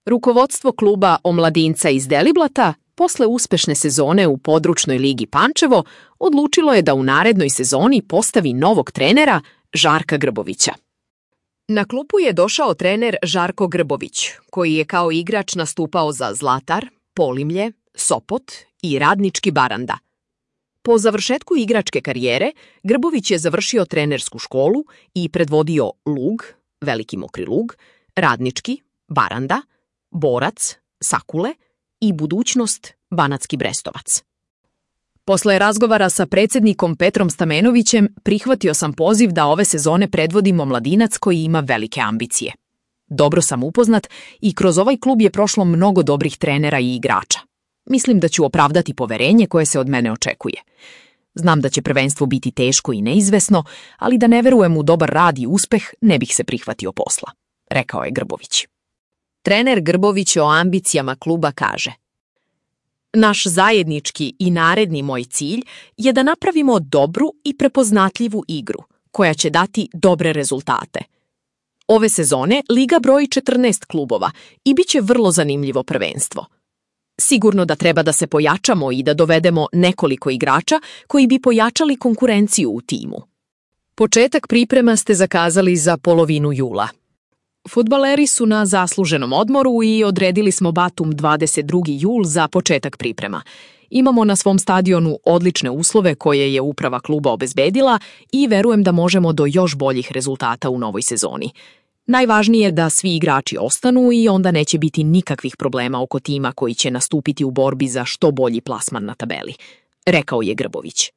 Rukovodstvo kluba Omladinca iz Deliblata posle uspešne sezone u područnoj ligi Pančevo odlučilo je da u narednoj sezoni postavi novog trenera Žarka Grbovića. Na klupu je došao trener Žarko Grbović, koji je kao igrač nastupao za Zlatar, Polimlje, Sopot i Radnički Baranda. Po završetku igračke karijere, Grbović je završio trenersku školu i predvodio Lug, Veliki Mokri Lug, Radnički, Baranda, Borac, Sakule i Budućnost, Banatski Brestovac. Posle razgovara sa predsjednikom Petrom Stamenovićem prihvatio sam poziv da ove sezone predvodim Omladinac koji ima velike ambicije. Dobro sam upoznat i kroz ovaj klub je prošlo mnogo dobrih trenera i igrača. Mislim da ću opravdati poverenje koje se od mene očekuje. Znam da će prvenstvo biti teško i neizvesno, ali da ne verujem u dobar rad i uspeh ne bih se prihvatio posla, rekao je Grbović. Trener Grbović o ambicijama kluba kaže: Naš zajednički i naredni moj cilj je da napravimo dobru i prepoznatljivu igru, koja će dati dobre rezultate. Ove sezone Liga broji 14 klubova i bit će vrlo zanimljivo prvenstvo. Sigurno da treba da se pojačamo i da dovedemo nekoliko igrača koji bi pojačali konkurenciju u timu. Početak priprema ste zakazali za polovinu jula. Fudbaleri su na zasluženom odmoru i odredili smo datum 22. jul za početak priprema. Imamo na svom stadionu odlične uslove koje je uprava kluba obezbedila i verujem da možemo do još boljih rezultata u novoj sezoni. Najvažnije je da svi igrači ostanu i onda neće biti nikakvih problema oko tima koji će nastupiti u borbi za što bolji plasman na tabeli, rekao je Grbović.